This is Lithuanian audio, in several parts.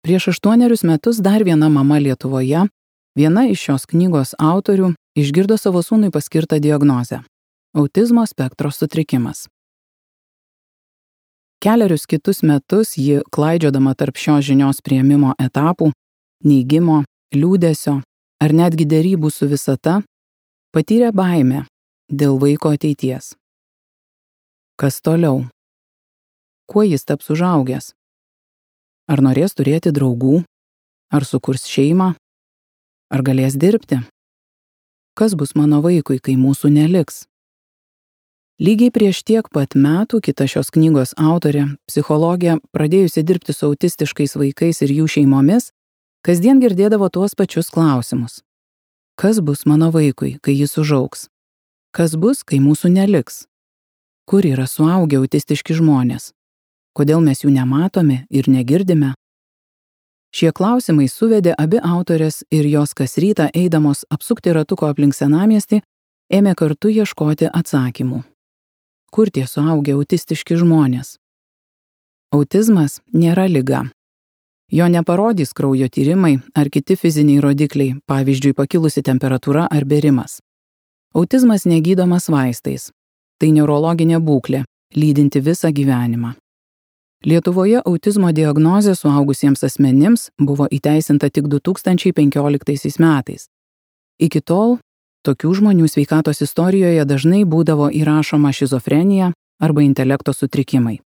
Prieš 8 metus dar viena mama Lietuvoje, viena iš šios knygos autorių, išgirdo savo sūnui paskirtą diagnozę – autizmo spektro sutrikimas. Kelerius kitus metus ji, klaidžiodama tarp šios žinios priėmimo etapų, neigimo, liūdesio ar netgi derybų su visata, patyrė baimę dėl vaiko ateities. Kas toliau? Kuo jis taps užaugęs? Ar norės turėti draugų? Ar sukurs šeimą? Ar galės dirbti? Kas bus mano vaikui, kai mūsų neliks? Lygiai prieš tiek pat metų kita šios knygos autorė, psichologė, pradėjusi dirbti su autistiškais vaikais ir jų šeimomis, kasdien girdėdavo tuos pačius klausimus. Kas bus mano vaikui, kai jis užaugs? Kas bus, kai mūsų neliks? Kur yra suaugę autistiški žmonės? Kodėl mes jų nematome ir negirdime? Šie klausimai suvedė abi autorės ir jos kas rytą eidamos apsukti ratuko aplink senamiestį, ėmė kartu ieškoti atsakymų. Kur tie suaugę autistiški žmonės? Autizmas nėra liga. Jo neparodys kraujo tyrimai ar kiti fiziniai rodikliai, pavyzdžiui, pakilusi temperatūra ar bėrimas. Autizmas negydomas vaistais. Tai neurologinė būklė, lydinti visą gyvenimą. Lietuvoje autizmo diagnozė suaugusiems asmenims buvo įteisinta tik 2015 metais. Iki tol tokių žmonių sveikatos istorijoje dažnai būdavo įrašoma šizofrenija arba intelekto sutrikimai.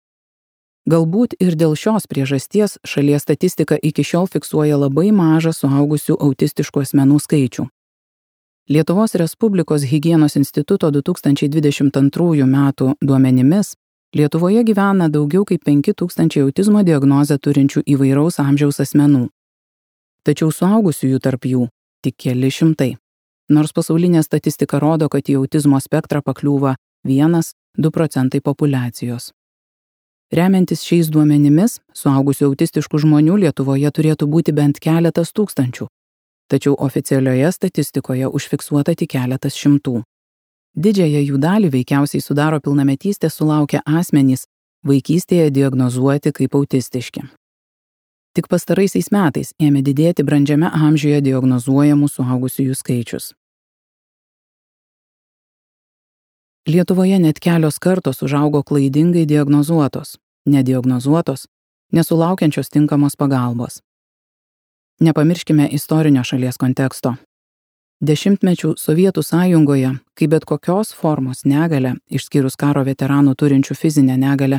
Galbūt ir dėl šios priežasties šalies statistika iki šiol fiksuoja labai mažą suaugusių autistiškų asmenų skaičių. Lietuvos Respublikos higienos instituto 2022 metų duomenimis Lietuvoje gyvena daugiau kaip 5000 autizmo diagnozę turinčių įvairaus amžiaus asmenų. Tačiau suaugusiųjų tarp jų tik keli šimtai. Nors pasaulinė statistika rodo, kad į autizmo spektrą pakliūva 1–2% populiacijos. Remiantis šiais duomenimis, suaugusių autistiškų žmonių Lietuvoje turėtų būti bent keletas tūkstančių, tačiau oficialioje statistikoje užfiksuota tik keletas šimtų. Didžiąją jų dalį veikiausiai sudaro pilnametystės sulaukę asmenys, vaikystėje diagnozuoti kaip autistiški. Tik pastaraisiais metais ėmė didėti brandžiame amžiuje diagnozuojamų suaugusiųjų skaičius. Lietuvoje net kelios kartos užaugo klaidingai diagnozuotos, nediagnozuotos, nesulaukiančios tinkamos pagalbos. Nepamirškime istorinio šalies konteksto. Dešimtmečių Sovietų sąjungoje, kai bet kokios formos negalia, išskyrus karo veteranų turinčių fizinę negalią,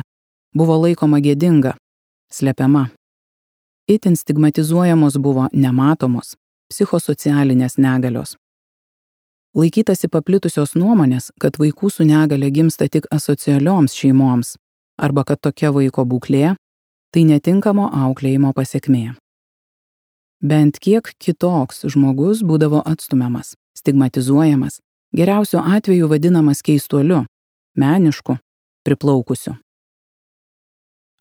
buvo laikoma gėdinga, slepiama. Itin stigmatizuojamos buvo nematomos, psichosocialinės negalios. Laikytasi paplitusios nuomonės, kad vaikų su negale gimsta tik asocialioms šeimoms, arba kad tokia vaiko būklė – tai netinkamo auklėjimo pasekmė. Bent kiek kitoks žmogus būdavo atstumiamas, stigmatizuojamas, geriausiu atveju vadinamas keistuoliu, menišku, priplaukusiu.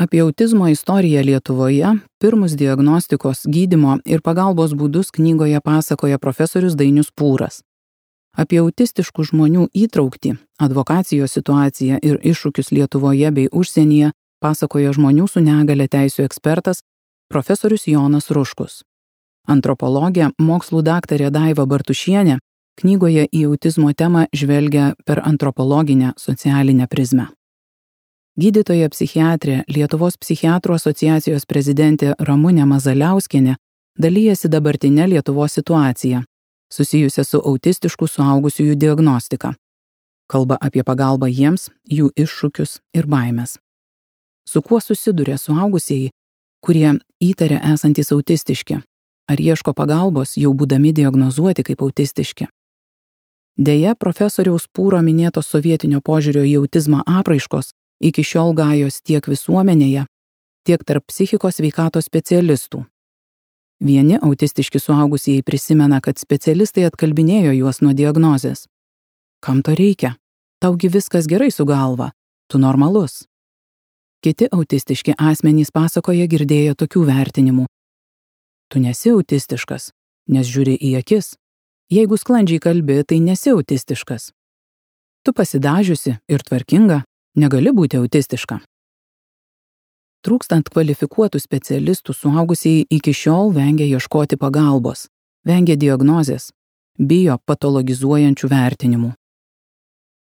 Apie autizmo istoriją Lietuvoje, pirmus diagnostikos, gydymo ir pagalbos būdus knygoje pasakoja profesorius Dainius Pūras. Apie autistiškų žmonių įtrauktį, advokacijos situaciją ir iššūkius Lietuvoje bei užsienyje pasakoja žmonių su negale teisių ekspertas profesorius Jonas Ruškus. Antropologė, mokslų daktarė Daiva Bartušienė knygoje į autizmo temą žvelgia per antropologinę socialinę prizmę. Gydytoja psichiatrė, Lietuvos psichiatrų asociacijos prezidentė Ramunė Mazaliauskienė dalyjasi dabartinę Lietuvos situaciją, susijusią su autistiškų suaugusiųjų diagnostika. Kalba apie pagalbą jiems, jų iššūkius ir baimes. Su kuo susiduria suaugusieji, kurie įtaria esantys autistiški, ar ieško pagalbos jau būdami diagnozuoti kaip autistiški. Deja, profesoriaus Pūro minėtos sovietinio požiūrio į autizmą apraiškos iki šiol gajos tiek visuomenėje, tiek tarp psichikos sveikatos specialistų. Vieni autistiški suaugusieji prisimena, kad specialistai atkalbinėjo juos nuo diagnozės. Kam to reikia? Taugi viskas gerai su galva, tu normalus. Kiti autistiški asmenys pasakoja girdėję tokių vertinimų. Tu nesi autistiškas, nes žiūri į akis. Jeigu sklandžiai kalbi, tai nesi autistiškas. Tu pasidažiusi ir tvarkinga, negali būti autistiška. Trūkstant kvalifikuotų specialistų, suaugusieji iki šiol vengia ieškoti pagalbos, vengia diagnozės, bijo patologizuojančių vertinimų.